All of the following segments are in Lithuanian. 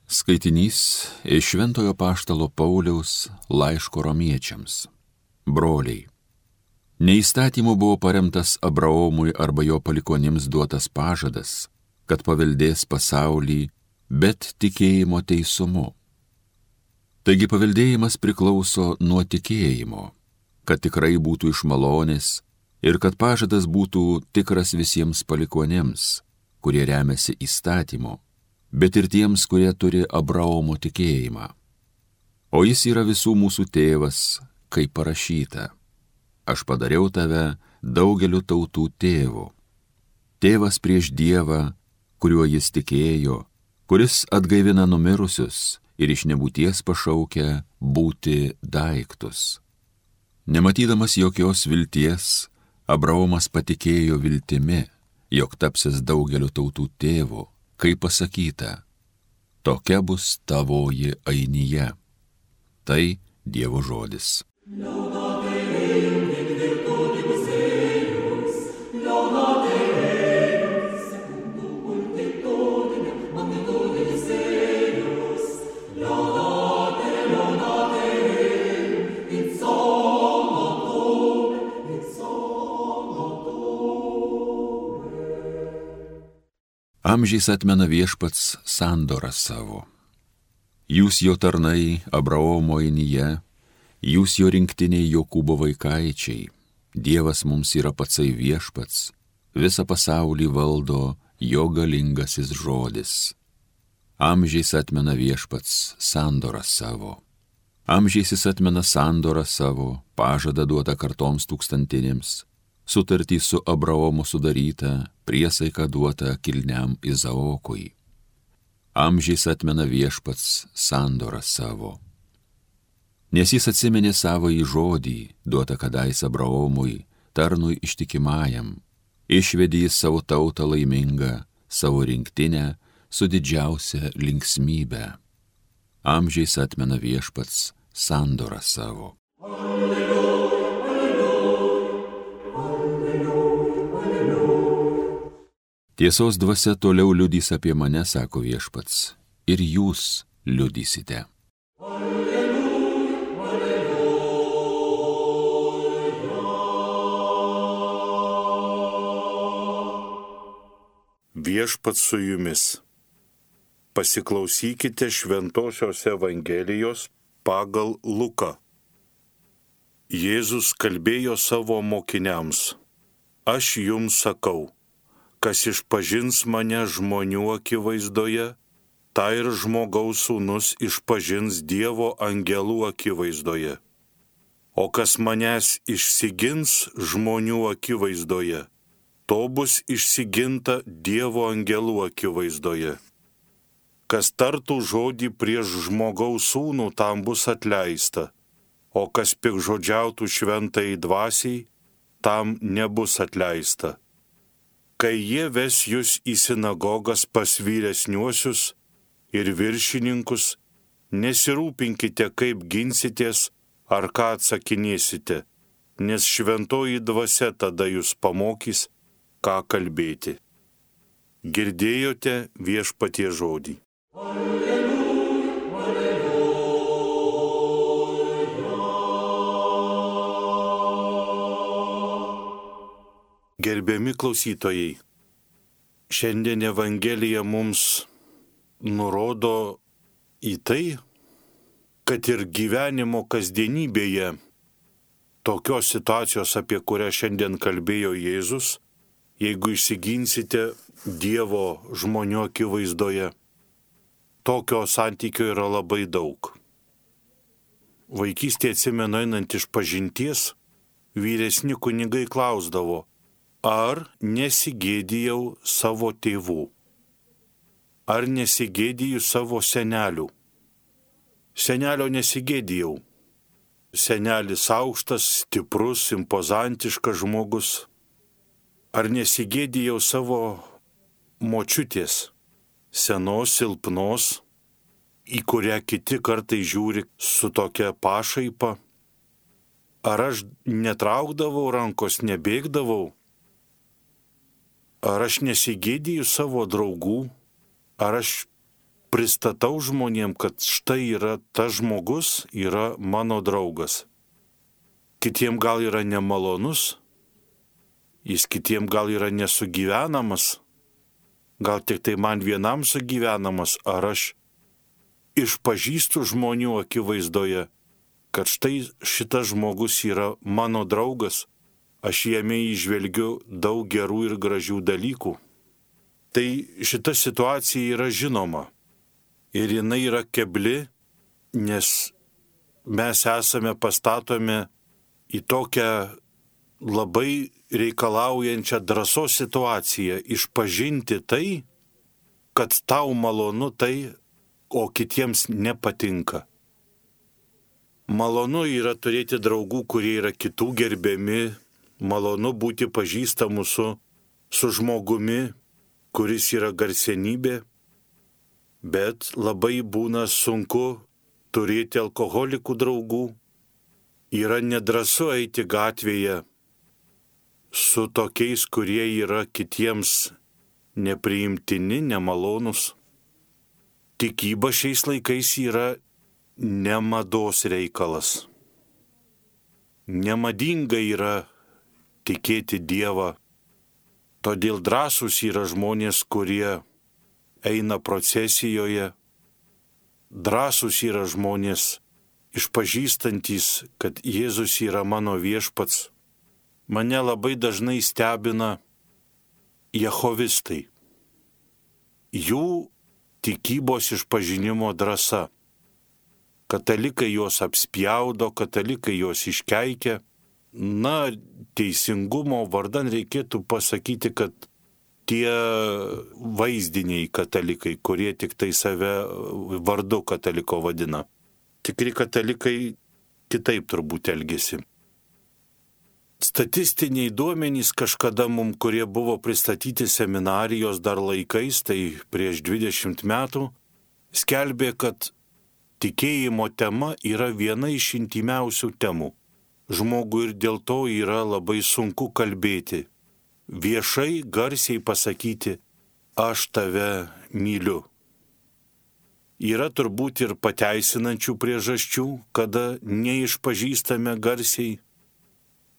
Skaitinys iš Šventojo Apaštalo Pauliaus laiško romiečiams. Broliai, ne įstatymu buvo paremtas Abraomui arba jo palikonims duotas pažadas, kad paveldės pasaulį, bet tikėjimo teisumu. Taigi paveldėjimas priklauso nuo tikėjimo, kad tikrai būtų iš malonės ir kad pažadas būtų tikras visiems palikonims, kurie remiasi įstatymu, bet ir tiems, kurie turi Abraomo tikėjimą. O jis yra visų mūsų tėvas, kaip parašyta: aš padariau tave daugeliu tautų tėvu. Tėvas prieš Dievą, kuriuo jis tikėjo, kuris atgaivina numirusius ir iš nebūties pašaukia būti daiktus. Nematydamas jokios vilties, Abraomas patikėjo viltimi, jog tapsis daugeliu tautų tėvu, kaip pasakyta: tokia bus tavoji ainija. Tai Dievo žodis. Amžiais atmena Viešpats sandorą savo. Jūs jo tarnai Abraomo ainija, jūs jo rinktiniai Jokūbo vaikaičiai. Dievas mums yra patsai Viešpats, visą pasaulį valdo jo galingasis žodis. Amžiais atmena Viešpats sandorą savo. Amžiais jis atmena sandorą savo, pažadą duotą kartoms tūkstantinėms, sutartį su Abraomu sudarytą, priesaiką duotą kilniam Izaokui. Amžiais atmena Viešpats sandorą savo. Nes jis atsiminė savąjį žodį, duotą kadais Abraomui, tarnui ištikimajam, išvedė jis savo tautą laimingą, savo rinktinę su didžiausia linksmybe. Amžiais atmena Viešpats sandorą savo. Tiesos dvasia toliau liudys apie mane, sako Viešpats, ir jūs liudysite. Viešpats su jumis. Pasiklausykite Šventosios Evangelijos pagal Luką. Jėzus kalbėjo savo mokiniams: aš jums sakau, kas išpažins mane žmonių akivaizdoje, tą ir žmogaus sūnus išpažins Dievo angelų akivaizdoje. O kas manęs išsigins žmonių akivaizdoje, to bus išsiginta Dievo angelų akivaizdoje. Kas tartų žodį prieš žmogaus sūnų, tam bus atleista, o kas piktžodžiautų šventai dvasiai, tam nebus atleista. Kai jie ves jūs į sinagogas pas vyresniuosius ir viršininkus, nesirūpinkite, kaip ginsitės ar ką atsakinėsite, nes šventoji dvasia tada jūs pamokys, ką kalbėti. Girdėjote Viešpaties žodį. Gerbiami klausytojai, šiandien Evangelija mums nurodo į tai, kad ir gyvenimo kasdienybėje tokios situacijos, apie kurią šiandien kalbėjo Jėzus, jeigu išsiginsite Dievo žmonių akivaizdoje, tokio santykio yra labai daug. Vaikystėje atsimenu, einant iš pažinties, vyresni kunigai klausdavo: ar nesigėdijau savo tėvų? Ar nesigėdiju savo senelių? Senelio nesigėdijau. Senelis aukštas, stiprus, impozantiškas žmogus. Ar nesigėdijau savo močiutės, senos, silpnos, į kurią kiti kartai žiūri su tokia pašaipa? Ar aš netraukdavau rankos, nebėgdavau? Ar aš nesigėdiju savo draugų? Ar aš pristatau žmonėm, kad štai yra tas žmogus, yra mano draugas. Kitiem gal yra nemalonus, jis kitiem gal yra nesugyvenamas, gal tik tai man vienam sugyvenamas, ar aš išpažįstu žmonių akivaizdoje, kad štai šitas žmogus yra mano draugas, aš jame įžvelgiu daug gerų ir gražių dalykų. Tai šita situacija yra žinoma ir jinai yra kebli, nes mes esame pastatomi į tokią labai reikalaujančią drąsos situaciją išpažinti tai, kad tau malonu tai, o kitiems nepatinka. Malonu yra turėti draugų, kurie yra kitų gerbiami, malonu būti pažįstamu su žmogumi, kuris yra garsenybė, bet labai būna sunku turėti alkoholikų draugų, yra nedrąsu eiti gatvėje su tokiais, kurie yra kitiems nepriimtini, nemalonus. Tikyba šiais laikais yra ne mados reikalas. Nemadinga yra tikėti Dievą. Todėl drąsūs yra žmonės, kurie eina procesijoje. Drąsūs yra žmonės išpažįstantys, kad Jėzus yra mano viešpats. Mane labai dažnai stebina jehovistai. Jų tikybos išpažinimo drąsa. Katalikai juos apspjaudo, katalikai juos iškeikia. Na, teisingumo vardan reikėtų pasakyti, kad tie vaizdiniai katalikai, kurie tik tai save vardu kataliko vadina. Tikri katalikai kitaip turbūt elgesi. Statistiniai duomenys kažkada mums, kurie buvo pristatyti seminarijos dar laikais, tai prieš 20 metų, skelbė, kad tikėjimo tema yra viena iš intymiausių temų. Žmogui ir dėl to yra labai sunku kalbėti. Viešai, garsiai pasakyti, aš tave myliu. Yra turbūt ir pateisinančių priežasčių, kada neišpažįstame garsiai.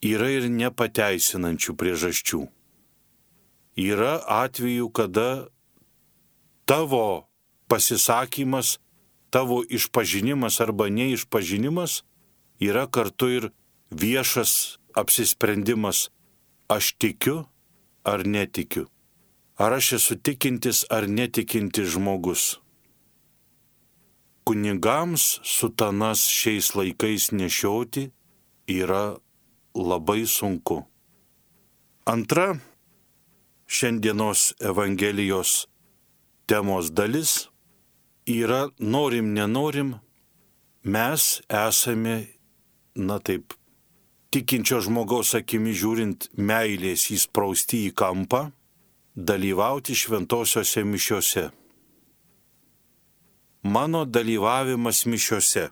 Yra ir nepateisinančių priežasčių. Yra atvejų, kada tavo pasisakymas, tavo išpažinimas arba neišpažinimas yra kartu ir viešas apsisprendimas. Aš tikiu ar netikiu. Ar aš esu tikintis ar netikintis žmogus. Kunigams sutanas šiais laikais nešioti yra labai sunku. Antra šiandienos Evangelijos temos dalis yra norim, nenorim, mes esame, tikinčio žmogaus akimi žiūrint, meilės įsprausti į kampą, dalyvauti šventosiose mišiose. Mano dalyvavimas mišiose.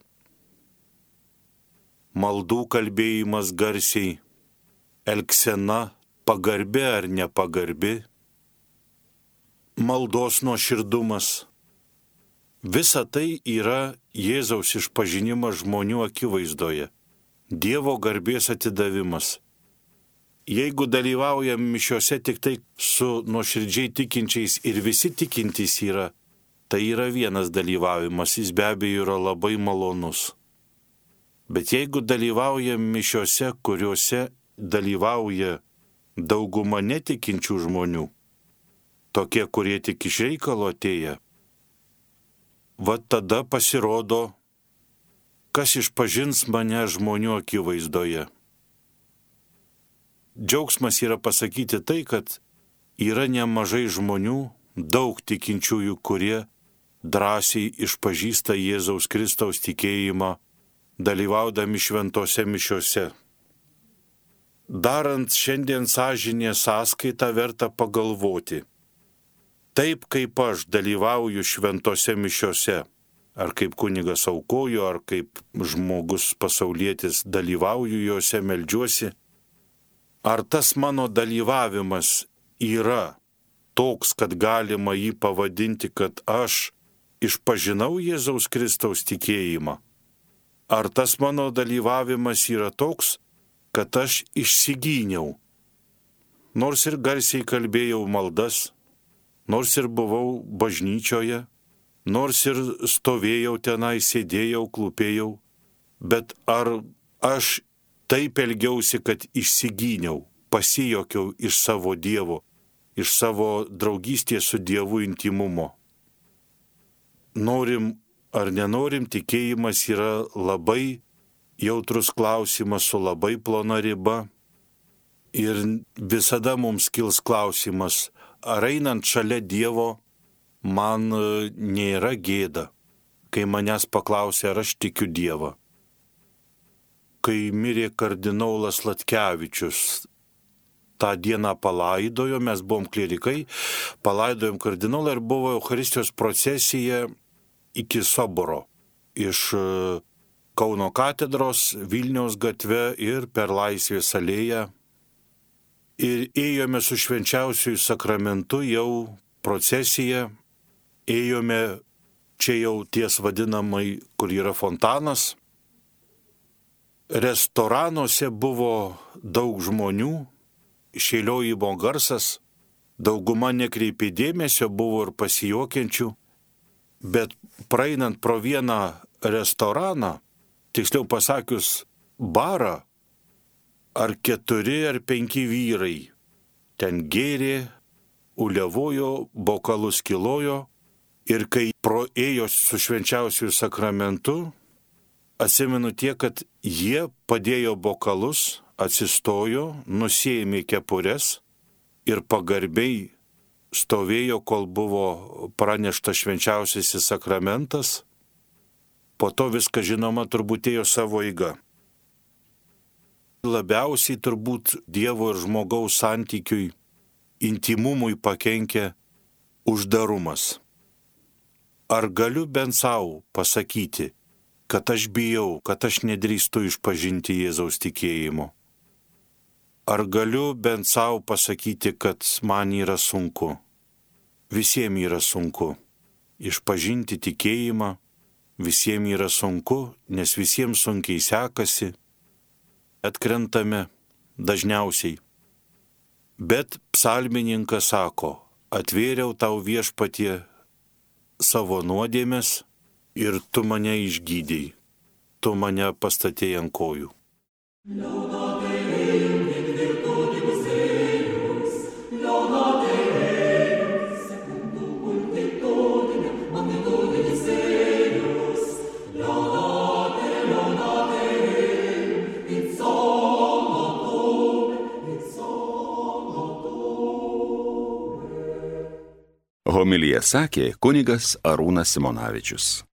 Maldų kalbėjimas garsiai, elgsena pagarbi ar nepagarbi, maldos nuoširdumas. Visa tai yra Jėzaus išpažinimas žmonių akivaizdoje, Dievo garbės atidavimas. Jeigu dalyvaujam mišiose tik tai su nuoširdžiai tikinčiais ir visi tikintys yra, tai yra vienas dalyvavimas, jis be abejo yra labai malonus. Bet jeigu dalyvaujam mišiose, kuriuose dalyvauja dauguma netikinčių žmonių, tokie, kurie tik iš reikalo atėję, va tada pasirodo, kas išpažins mane žmonių akivaizdoje. Džiaugsmas yra pasakyti tai, kad yra nemažai žmonių, daug tikinčiųjų, kurie drąsiai išpažįsta Jėzaus Kristaus tikėjimą, dalyvaudami šventose mišiose. Darant šiandien sąžinės sąskaitą verta pagalvoti. Taip kaip aš dalyvauju šventose mišiose, ar kaip kunigas aukoju, ar kaip žmogus pasaulietis dalyvauju juose, meldžiuosi, ar tas mano dalyvavimas yra toks, kad galima jį pavadinti, kad aš išpažinau Jėzaus Kristaus tikėjimą? Ar tas mano dalyvavimas yra toks, kad aš išsigyniau? Nors ir garsiai kalbėjau maldas, nors ir buvau bažnyčioje, nors ir stovėjau tenai, sėdėjau, klūpėjau, bet ar aš taip elgiausi, kad išsigyniau, pasijokiau iš savo Dievo, iš savo draugystės su Dievu intimumo? Norim ar nenorim, tikėjimas yra labai jautrus klausimas su labai plona riba ir visada mums kils klausimas, ar einant šalia Dievo man nėra gėda, kai manęs paklausė, ar aš tikiu Dievą. Kai mirė kardinolas Latkevičius, tą dieną palaidojo, mes buvom klierikai, palaidojom kardinolą ir buvo Eucharistijos procesija iki Soboro, iš Kauno katedros, Vilniaus gatve ir per Laisvės alėją. Ir ėjome su švenčiausiuoju sakramentu jau procesiją, ėjome čia jau ties vadinamai, kur yra fontanas. Restoranuose buvo daug žmonių, šėliojimo garsas, dauguma nekreipė dėmesio, buvo ir pasijuokiančių, bet praeinant pro vieną restoraną, tiksliau pasakius barą, ar 4 ar 5 vyrai ten gėrė, uliavojo, bokalus kilojo ir kai proėjo su švenčiausiuoju sakramentu, atsimenu tiek, kad jie padėjo bokalus, atsistojo, nusiėmė kepures ir pagarbiai stovėjo, kol buvo praneštas švenčiausiasis sakramentas. Po to viskas, žinoma, turbūt ėjo savo eiga. Labiausiai turbūt Dievo ir žmogaus santykiui, intimumui pakenkia uždarumas. Ar galiu bent savo pasakyti, kad aš bijau, kad aš nedrįstu išpažinti Jėzaus tikėjimo? Ar galiu bent savo pasakyti, kad man yra sunku? Visiems yra sunku išpažinti tikėjimą, visiems yra sunku, nes visiems sunkiai sekasi, atkrentame dažniausiai. Bet psalmininkas sako, atvėriau tau Viešpatie savo nuodėmes ir tu mane išgydei, tu mane pastatei ant kojų. Homiliją sakė kunigas Arūnas Simonavičius.